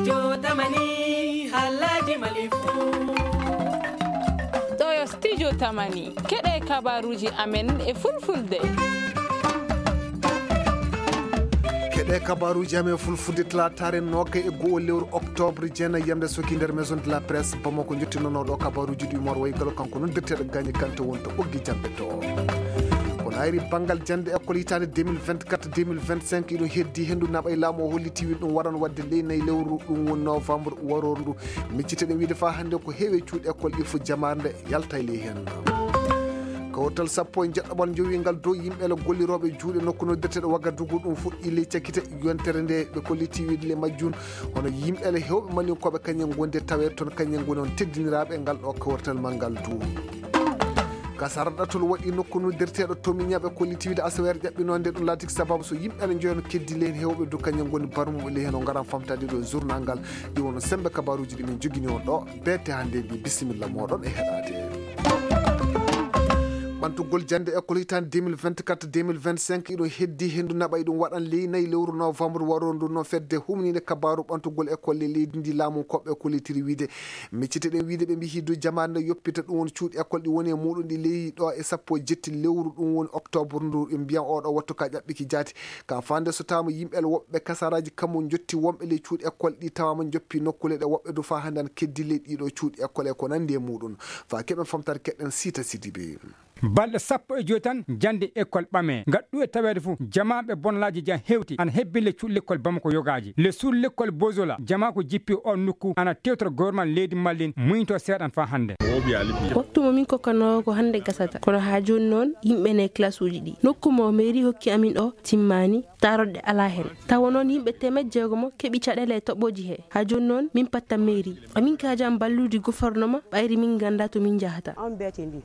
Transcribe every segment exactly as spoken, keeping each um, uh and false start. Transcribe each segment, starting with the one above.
Studio Tamani, Alhaji Malifu. Ɗo yo Studio Tamani, keɗee kabaaruuji amen e fulfulde. Keɗee kabaaruuji amen e fulfulde talaataare noogay e go'o lewru oktoobre jeenay yamde soki nder Maison de la Presse Bamako. Njottinoo ɗo kabaaruuji ɗi moor wayi galo kanko noon dirteeɗo gaañi kante wonta ɓoggi jamɗe to. Ko naayri banngal jannde école hitaande deux mille vingt-quatre deux mille vingt-cinq iɗo heddi henndu naɓa e laamu o holliti wiɗ ɗum waran waɗde ley nayi lewru ɗum woni novembre waroor ndu. Micciteɗen wiide faa hannde ko heewi e cuuɗi école ɗi fof jamaare nde yalta e ley heen. Kawtal sappo e jeɗɗoɓal njowingal dow yimɓe ele gollirooɓe juuɗe nokku noddirteeɗo Wagadugu ɗum fuɗɗi ley cakkite yontere nde ɓe kolliti wiide le majjun. Hono yimɓe ele heewɓe malinkooɓe kañen ngondi e tawee toon kañen ngoni on teddiniraaɓe ngal ɗo kawtal manngal du. Kasara ɗatol waɗi nokku noddirteeɗo Tomiña ɓe kolliti wiide asaweere ƴaɓɓinoonde ɗum laatiki sababu so yimɓe ele njoyon keddi ley heen heewɓe du kañen ngoni barmuɓe ley heen o ngaran famtaade ɗo e journal ngal. Ɗi wono sembe kabaaruuji ɗi min jogini on ɗo. Beete hannde mbi bisimilla mooɗon e heɗaade. Ɓantugol jannde école hitaande deux mille vingt-quatre deux mille vingt-cinq iɗo heddi henndu naɓa iɗum waɗan ley nayi lewru novembre waroor ndu no fedde humniinde kabaaru ɓantugol école e leydi ndi laamu koɓɓe kollitiri wiide. Micciteɗen wiide ɓe mbiyi du jamaare nde yoppita ɗum woni cuuɗi école ɗi woni e muuɗum ɗi ley ɗo e sappo e jetti lewru ɗum woni oktoobre ndu ɓe mbiyan oɗo wattu ka ƴaɓɓiki jaati. Ka faande so taama yimɓe ele woɓɓe kasaraaji kammu njotti wonɓe ley cuuɗi école ɗi tawaama njoppi nokkuule ɗe woɓɓe du faa hannde ana keddi ley ɗiɗo cuuɗi école e ko nanndi e muuɗum. Faa keɓen famtaade keɗɗen Siita Sidibe. Balɗe sappo e joy tan jannde école ɓamee. Ngal ɗuuɗe taweede fof, jamaaɓe bonlaaji jan hewti ana hebbini le cuuɗi lekkol Bamako yogaaji. Le suudu lekkol Bozola, jamaa ko jippi oo nokku ana tewtora gouvernement leydi Mali, muñitoo seeɗan faa hannde. Waktu mo min kokkanoo ko hannde gasata, kono haa jooni noon yimɓe ne e classe uji ɗi. Nokku mo mairie hokki amin o timmaani, taaroɗe alaa heen. Tawa noon yimɓe teemeɗɗe jeegomo keɓi caɗeele e toɓɓooji hee. Haa jooni noon min pattan mairie. Amin kaajan ballude gofornoma ɓayri min nganndaa to min njahata.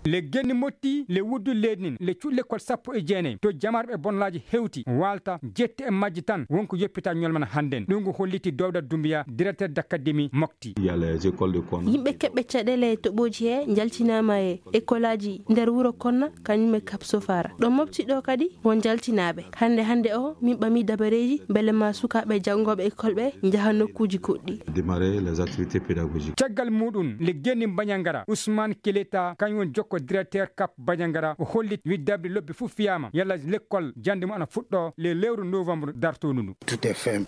Le genni motti le wuddu leydi nin le cuuɗi lekkol sappo e jeenay to jamaare ɓe bonlaaji hewti waalta jetti e majji tan wonko yoppita ñolmana hannden. Ɗum ko holliti Dowda Dumbiya, directeur d'académie Mokti. Yimɓe keɓɓe caɗeele e toɓɓooji hee njaltinaama e ekolaaji nder wuro Konna kañum e Kap Sofara. Ɗo mofti ɗo kadi won njaltinaaɓe. Hannde hannde o min ɓamii dabareeji mbele maa sukaaɓe janngooɓe ekol ɓe njaha nokkuuji goɗɗi. Démarrer les activités pédagogiques. Caggal muuɗum le genni Bañangara Ousmane Keleta kañum woni jokko directeur Kap Bañangara o holliti wiɗ dabri lobbi fof fiyaama yalla lekkol jannde mum ana fuɗɗoo le lewru novembre dartoondu ndu.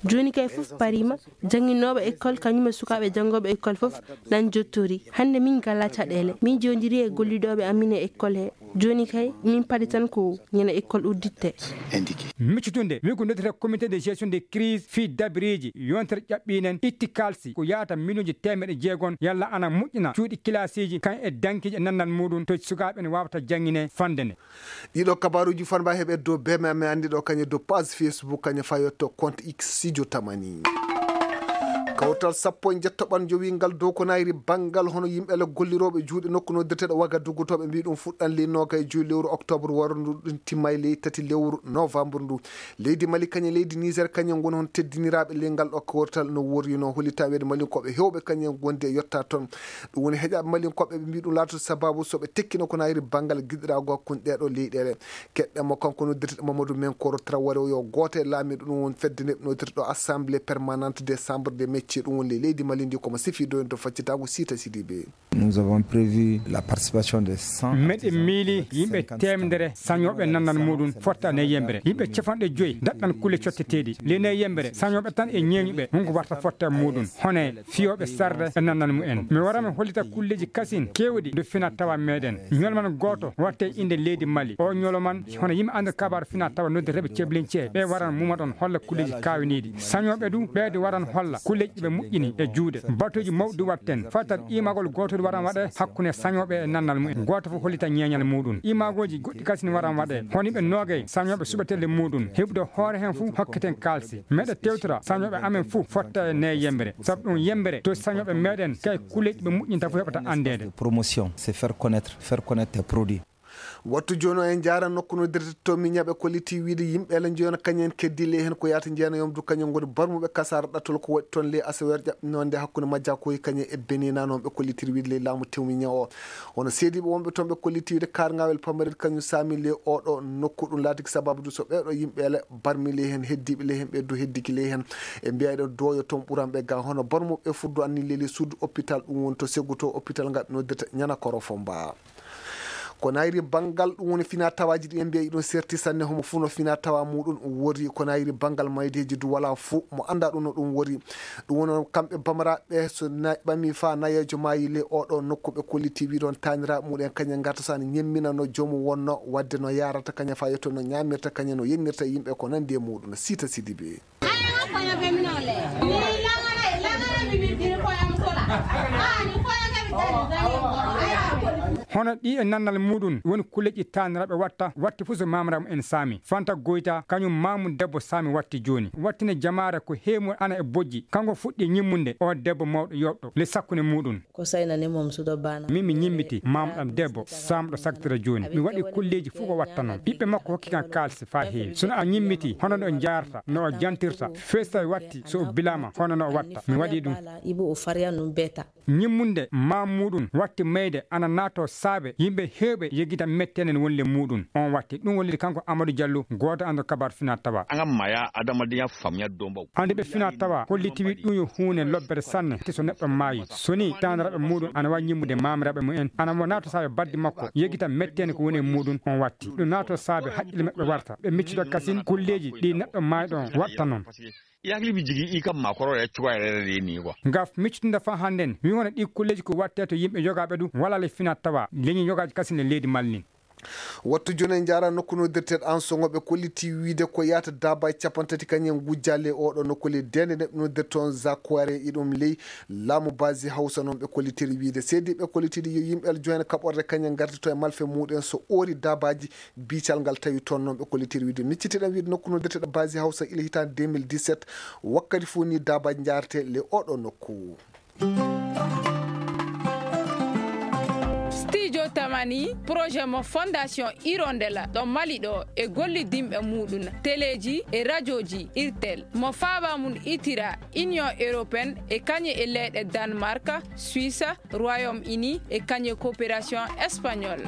Jooni kay fof pariima. Jannginooɓe ekkol kañum e sukaaɓe janngooɓe ekkol fof nan jottori. Hannde min ngalaa caɗeele. Min njoondirii e gollidooɓe amin e ekkol he. Jooni kay min paɗi tan ko ñande ekkol udditte. Miccutunde wi ko noddetee comité de gestion de crise fii dabireeji yontere ƴaɓɓiinen itti kaalsi ko yahata miliyonji teemeɗe jeegom yalla ana moƴƴina cuuɗi kilaasiiji kan e dankiiji e nannal muuɗum to sukaaɓe ne waawata janngine fannde ne. Ɗiɗo kabaaruuji fanba heɓe dow beme amen anndi ɗo kañe dow page Facebook kañe fayotto compte X Studio Tamani. Kawtal sappo e njettoɓal njowingal dow ko nayri banngal hono yimɓe le gollirooɓe juuɗe nokku noddeteeɗo Wagadugu to ɓe mbii ɗum fuɗɗan ley noogay joyi lewru oktoobre waro ndu ɗum timma e ley tati lewru novembre ndu. Leydi Mali kañe leydi Niger kañe ngoni hon teddiniraaɓe ley ngal ɗo kawtal no worrino hollita weede Mali koɓe hewɓe kañe gondi e yetta toon. Ɗum woni heƴaaɓe malinkooɓe ɓe mbii ɗum laatoto sabaabu so ɓe tekkino ko nayri banngal giɗiraagu hakkunde ɗee ɗoo leyɗeele. Keɗɗen mo kanko noddirteeɗo Mamadou Menkoro Traoré o yo gooto e laamiiɗo ɗum woni fedde nde ɓe noddirta ɗo assemblée permanente des chambres de métiers ɗum woni ley leydi Mali ndi komo sifii doyde to faccitaagu Siita Sidibe. Nous avons prévu la participation des cent. Meɗen miili yimɓe teemedere sañooɓe nannal muuɗum fotta ne yembere yimɓe capanɗe joyi daɗɗan kulle cotteteeɗi ley ne yembere sañooɓe tan e ñeeñuɓe hunko warta fotta muuɗum hone fiyooɓe sarde e nannal mumen. Mi wara mi hollita kulleeji kasin keewɗi ndu fina tawa meɗen. Ñoloman gooto watte innde leydi Mali. O ñoloman hono yimɓe anndir kabaaru fina tawa noddirteeɓe ceblincee. Ɓe waran mumaɗon holla kulleeji kaawiniiɗi. Sañooɓe du ɓeede waran holla kulleeji ɓe moƴƴini e juuɗe. Batuuji mawɗi watten. Fatal iimagol gootol waran waɗe hakkunde sañooɓe e nannal mumen. Gooto fof hollita ñeeñal muuɗum. Iimagooji goɗɗi kasin waran waɗe. Hono yimɓe noogay sañooɓe suɓetelle muuɗum. Heɓude hoore heen fof hokketen kaalsi. Meɗe tewtora sañooɓe amen fof fotta e ne yembere. Sabu ɗum yembere to sañooɓe meɗen kay kulleeji ɓe moƴƴinta fof heɓata anndeede. Promotion, c'est faire connaître, faire connaître tes produits. Wattu jooni o en njaara nokku no direte to miñaɓe kolliti wiide yimɓe ele njoyon kañen keddi ley heen ko yaata njeena yomdu kañen ngoni barmuɓe kasaara ɗattol ko waɗi toon ley asaweer ƴaɓɓinoonde hakkunde majjakoy kañen e benina noon ɓe kollitiri wiide ley laamu tewmiña o. Hono seediiɓe wonɓe toon ɓe kolliti wiide kaarngawel pamarit kañum saami ley oɗo nokku ɗum laatiki sababu du so ɓeeɗo yimɓe ele barmi ley heen heddiiɓe ley heen ɓe du heddiki ley heen. E mbiya eɗen dooyo toon ɓuranɓe ga hono barmuɓe fuddu anni leli sud hôpital ɗum woni to seggu to hôpital ngal ɓe noddirta ñana korofo mba. Ko nayri banngal ɗum woni fina tawaaji ɗi en mbiya iɗum serti sanne homo fuu no fina tawa muɗum wori ko nayri banngal maydeeji du wala fuu mo annda ɗum no ɗum wori. Ɗum woni kamɓe bamaraɓe so ɓami fa nayeejo maayi le oɗo nokku ɓe kolliti wiɗon taaniraɓe muɗum kañe ngarta so ana ñemminano joomum wonno wadde no yarata kañe fa yetto no ñamirta kañe no yennirta yimɓe ko nandi e muɗum siita sidibe. Hono ɗi e nannal muɗum woni kulleeji taaniraaɓe watta watti fuu so maamraamu en saami fanta goyta kañum maamum debbo saami watti jooni wattine jamaare ko heewi ana e bojji kanko fuɗɗi ñimmunde o debbo mawɗo yoɓɗo le sakkunde muɗum. Ko sayna ne mom sudo bana. Min mi ñimmiti maamɗam debbo saamɗo sagtira jooni mi waɗi kulleeji fuu ko watta noon ɓiɓɓe makko hokki kan kaalisi faa heewi sono a ñimmiti hono no njaarta no o jantirta feesta watti so o bilaama hono no o watta mi waɗi ɗum. Ibu o fariya num beta. Ñimmunde maa muuɗum watti mayde ana naatoo saabe yimɓe heewɓe yegita metteende no woni le muuɗum. Oon watti ɗum woni kanko Amadu Jallo gooto e anndo kabaar finaa tawaa. An maya adamadiya faamuya dombaw. Anndi ɓe finaa tawaa holliti wi ɗum yo huunde lobbere sanne te so neɗɗo maayi so nii taaniraaɓe muuɗum ana waawi ñimmude maamiraaɓe mum en ana mo naatoo saabe baddi makko yegita metteende ko woni e muuɗum. Oon watti ɗum naatoo saabe haqqille maɓɓe warta ɓe miccido kasin kulleeji ɗi neɗɗo maayɗo on watta noon. Yakli bi jigi i kam makoro ya cuwa yɛrɛ de ni quoi. Ngaf miccitinda fa hannden wi hono ɗi kulleeji ko wattee to yimɓe yogaaɓe ɗum wala le fina tawa leñi yogaaji kasin le leydi malnin. Wattu jooni en njaara nokku noddirteeɗo an soŋo ɓe kolliti wiide ko yaata daabaaji capanɗe tati kañum ngujjaali e oɗo nokku ley deende neɗɗo noddirte on zakuware iɗum ley laamu basi hawsa noon ɓe kollitiri wiide seedi ɓe kollitiri yo yimɓe aljoine kaɓorde kañum ngarti to e malfe muɗum so oori daabaaji. Biical ngal tawi toon noon ɓe kollitiri wiide miccitiɗen wiide nokku noddirteeɗo basi hawsa ila hitaande deux mille dix-sept. Wakkati fof ni daabaaji njaarete le oɗo nokku. Studio tamani projet mo fondation hirondela ɗo mali ɗo e gollidinɓe muɗum teleeji e rajooji irtel mo faaba mum itira union européenne e kañe e leyɗe danemark, suisse, royaume uni e kañe coopération espagnol.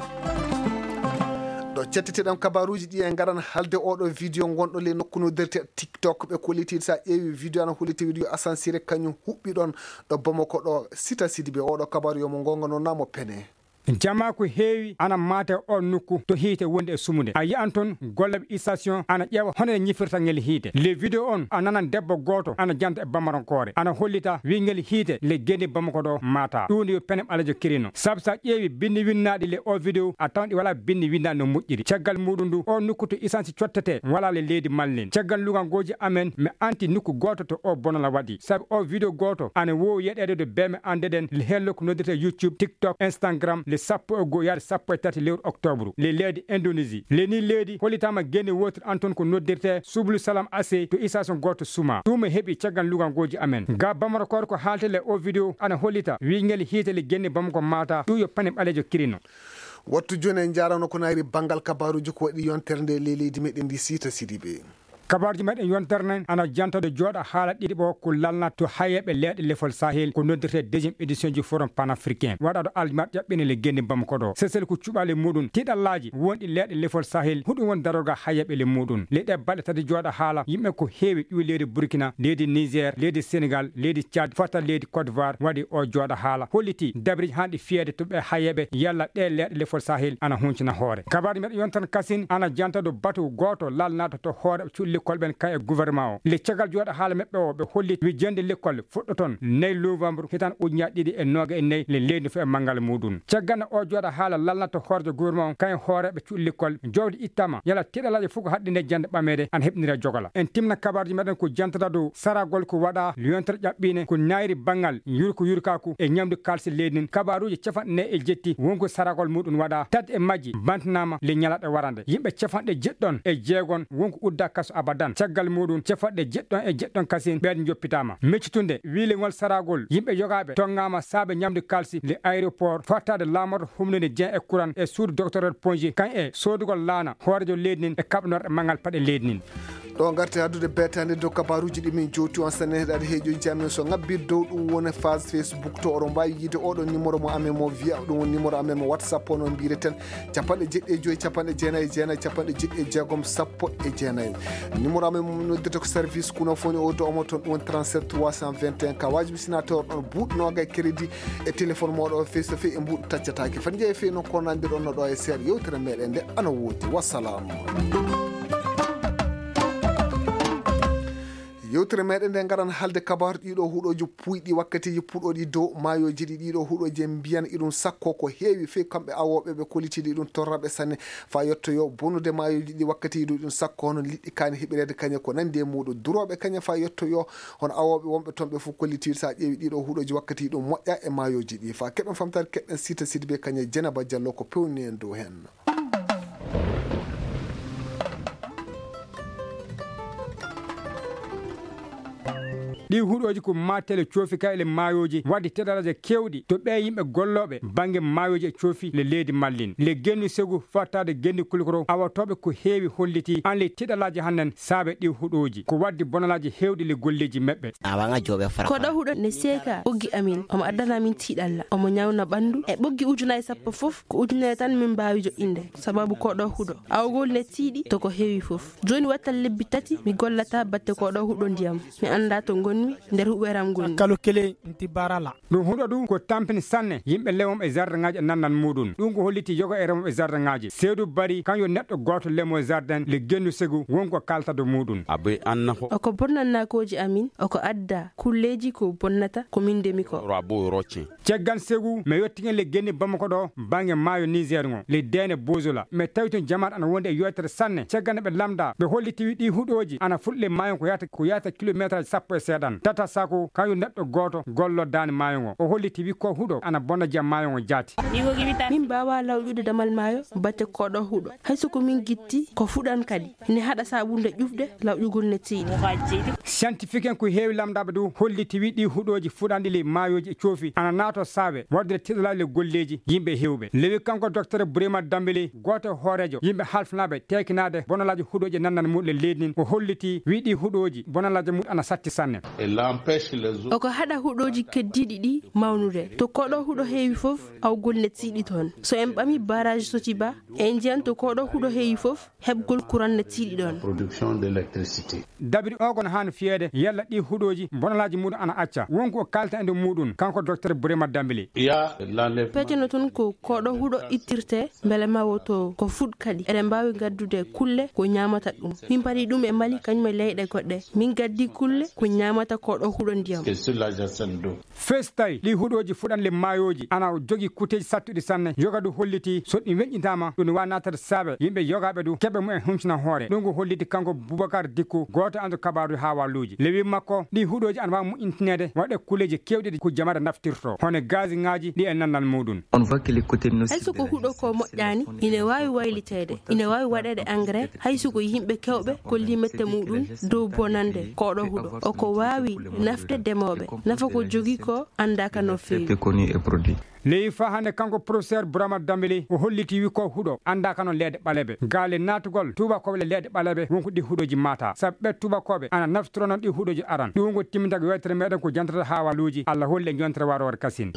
Ɗo cettiteɗen kabaruuji ɗi en ngaran halde oɗo video ngonɗo ley nokku noddirte tiktok ɓe kolliti sa ƴeewi video ana holliti wiɗo yo asansire kañum huɓɓi ɗon ɗo bomoko ɗo sita sidi ɓe oɗo kabaru yomo ngonga noon namo pene. Jamaa ko heewi ana maata e oon nokku to hiite wonde e sumude a yiyan toon gollooɓe station ana ƴeewa hono nde ñifirta ngel hiite le video on a nanan debbo gooto ana janta e bamarankoore ana hollita wi ngel hiite le geni bamako ɗo maata ɗum yo pene ɓaleejo kirino sabu so a ƴeewi binndi winnaaɗi le o video a tawan ɗi walaa binndi winnaaɗi no moƴƴiri caggal muɗum ndu o nokku to isansi cottetee walaa le leydi malnin caggal lugangooji amen mi anti nokku gooto to o bonola waɗi sabu o video gooto ana woowi yeɗeede do beeme anndeɗen le heen lokku noddirte youtube tiktok instagram le sappo e goo yaade sappo e tati lewru octobre le leydi indonésie le ni leydi hollitaama geni wootir an toon ko noddirte sublu salam asey to istation gooto suma ɗum e heɓi caggal lugangooji amen ga bamara koore ko haalte le o video ana hollita wi ngel hiite le genni bamako maata ɗum yo pane ɓaleejo kirino. Wattu jooni en njaarano ko nayri banngal kabaaruuji ko waɗi yontere nde ley leydi meɗen ndi siita sidiɓe. Kabaaruuji meɗen yontere nden ana jantode jooɗa haala ɗiɗi ɓo ko lalnat to hayeeɓe leeɗe lefol sahel ko noddirte deuxiéme édition ji forum panafricain waɗaɗo aljumaɗ ƴaɓɓine le genni bamako ɗo sesel ko cuɓaali muɗum tiɗallaaji wonɗi leeɗe lefol sahel huɗum won daroga hayeeɓe le muɗum le ɗe balɗe tati jooɗa haala yimɓe ko heewi ƴuwi leydi burkina leydi niger leydi sénégal leydi tchad fota leydi côte d'ivoire waɗi o jooɗa haala holliti dabiriji hanɗi fiyeede to ɓe hayeeɓe yalla ɗe leeɗe lefol sahel ana huncina hoore kabaaruuji meɗen yontere kasin ana jantado batu gooto lalnaaɗo to hoore cuuɗi lekkol ɓen kañum e gouvernement o le caggal jooɗa haala meɓɓe o ɓe holli wi jannde lekkol fuɗɗoton nayi novembre hitan ujunaaji ɗiɗi e nooga e nayi le leydi fof e manngal muɗum caggal no o jooɗa haala lalnata hoorejo gouvernement o kañum hooreeɓe cuuɗi lekkol jowdi ittama yala tiɗalaaji fof ko haɗɗinde jannde ɓameede ana heɓnira jogola en timna kabaruuji meɗen ko jantata dow saragol ko waɗa yontere ƴaɓɓiinde ko nayri banngal yurko yurkaku e ñamdu kalsi leydi ndin kabaruuji capanɗe nayi e jetti wonko saragol muɗum waɗa tati e majji bantanaama le ñalaɗe warande yimɓe capanɗe jeɗɗon e jeegon wonko udda kaso Badan. Caggal muuɗum, capanɗe jeɗɗon e jeɗɗon kasin ɓeen njoppitaama. Meccitunde, wiilingol saragol yimɓe yogaaɓe tonngaama saabe ñamdu kaalsi le aéroport, fattaade laamorɗo humnude Dieng e kuran e suudu docteur Ponji, kañ e soodugol laana hooreejo leydi nin e kaɓanorɗe manngal paɗe leydi nin. Ɗo ngarten addude beetaande dow kabaaruuji ɗi min jowti on sanne heɗaade heejoji amen. So ŋabbiri dow ɗum woni page Facebook to oɗon mbaawi yiide oɗo numéro mo amen mo wiya ɗum woni numéro amen mo WhatsApp o no mbireten capanɗe jeɗɗi e joyi capanɗe jeenayi e jeenayi capanɗe jeɗɗi e jeegom sappo e jeenayi. Numéro amen mo noddirta ko service kuno foni o to omo toon ɗum woni trente-sept trois cent vingt et un ka waajibi sina tawon ɗon buuɗi noogay crédit e téléphone mooɗo o fey so fey e mbuuɗi taccataake. Fati njeyi fey noon ko nandirɗon no ɗo e seeɗa yewtere meɗen nde ana woodi. Wassalam. Yewtere meɗen nde ngaran halde kabaru ɗiɗo huɗoji puyɗi wakkatiji puɗoɗi dow mayoji ɗi ɗiɗo huɗoji en mbiyan iɗum sakko ko heewi fey kamɓe awoɓe ɓe kolitiɗi ɗum torraɓe sanne fa yettoyo bonude mayoji ɗi wakkatiji dow ɗum sakko hono liɗɗi kani heɓirede kañe ko nandi e muɗum duroɓe kañe fa yettoyo hono awoɓe wonɓe toon ɓe fof kollitiiɗo so a ƴeewi ɗiɗo huɗoji wakkati ɗum moƴƴa e maayooji ɗi fa keɓen famtaade keɓɗen sita sidi be kañe jenaba jallo ko pewni en dow heen. Ɗi huɗooji ko maatele coofi kay le maayooji wadde teɗalaaji keewɗi to ɓee yimɓe gollooɓe bannge maayooji e coofi le leydi mallin le gennu segu fattaade gennu kulkoro awotooɓe ko heewi hollitii an le teɗalaaji hannden saabe ɗi huɗooji ko waddi bonalaaji heewɗi le golleeji meɓɓe. Koɗo huɗo ne seeka ɓoggi amin omo addana amin tiiɗalla omo ñawna ɓanndu e ɓoggi ujunaaji sappo fof ko ujunere tan min mbaawi joɗɗinde sababu koɗo huɗo awgol ne tiiɗi to ko heewi fof. Jooni wattan lebbi tati mi gollata batte koɗo huɗo ndiyam mi annda to ngonmi nder huɓeram ngonmi. Ɗum huɗo ɗum ko tampini sanne yimɓe lemoɓe e zardaŋaaji e nannal muuɗum. Ɗum ko holliti yoga e remoɓe e zardaŋaaji. Seedu Bari kam yo neɗɗo gooto lemo e zardaŋ le gennu segu won ko kaalta do muuɗum. Oko bonna nakooji amin oko adda kulleeji ko bonnata ko min ndemi ko. Caggal segu mi yottigen le genni Bamako ɗo bannge maayo Niger ngo le deene Bozola mi tawi tun jamaat ana wondi e yootere sanne caggal nde ɓe lamda ɓe holliti wi ɗi huɗooji ana fuɗi le maayo ko yahata ko yahata kilomeetraaji sappo e seeɗan tata sako kañum neɗɗo gooto golloo daande maayo ngo o holliti wi ko huɗo ana bonna jiyam maayo ngo jaati. Min mbaawaa lawƴude damal maayo batte koɗo huɗo hay so ko min gitti ko fuɗan kadi ine haɗa saaɓunde ƴufde lawƴugol ne tiiɗi. Siyantifik en ko heewi lamndaaɓe dow holliti wi ɗii huɗooji fuɗanɗi ley maayooji e coofi ana naatoo saabe waɗude tiɗalaaji le golleeji yimɓe heewɓe lewi kanko doktor Burema Dambele gooto e hooreejo yimɓe halfinaaɓe teekinaade bonalaaji huɗooji e nannal muɗum e leydi ndin o holliti wi ɗii huɗooji bonalaaji muɗum ana satti sanne. Oko haɗa huɗooji keddiiɗi ɗii mawnude to koɗo huɗo heewi fof awgol ne tiiɗi toon so en ɓami baraaji sotiba en njiyan to koɗo huɗo heewi fof heɓgol kuran ne tiiɗi ɗoon. Dabiri ogo no haani fiyeede yalla ɗii huɗooji bonalaaji muɗum ana acca won ko kaalta e nder muɗum kanko doktor Burema Dambili. Peeteno toon ko koɗo huɗo ittirtee mbele ma woto ko fuɗ kadi eɗen mbaawi ngaddude kulle ko ñaamata ɗum min paɗi ɗum e mali kañum e leyɗe goɗɗe min gaddi kulle ko ñaamata koɗo huɗo ndiyam. Festay ɗi huɗooji fuɗanle maayooji ana jogii kuteeji sattuɗi sanne yoga du hollitii so ɗi weñƴitaama ɗum ne waawi naatade saabe yimɓe yogaaɓe du keɓe mumen humtina hoore ɗum ko holliti kanko Bubakar Dikku gooto e andu kabaaruuji haawaaluuji lewi makko ɗi huɗooji ana waawi moƴƴintineede waɗe kuleeji keewɗi ɗi ko jamaare naftirtoo hono gaasiŋaaji ɗi e nannal muuɗum. Hay so ko huɗo ko moƴƴaani ine waawi wayliteede ine waawi waɗeede engrais hay so ko yimɓe keewɓe kollii mette muuɗum dow bonannde koɗo huɗo o ko waawi nafde demooɓe nafa ko jogii ko anndaaka no feewi. Leyi faa hannde kanko professeur Bourama Dambélé o hollitii wi ko huɗo anndaaka no leeɗe ɓaleeɓe gaale naatugol tuubakooɓe le leeɗe ɓaleeɓe won ko ɗi huɗooji maataa sabu ɓee tuubakooɓe ana naftoroo noon ɗi huɗooji aran ɗum won ko timmintago yewtere meeɗen ko jantoto haawaaluuji Allah holli e jontere waroore kasin.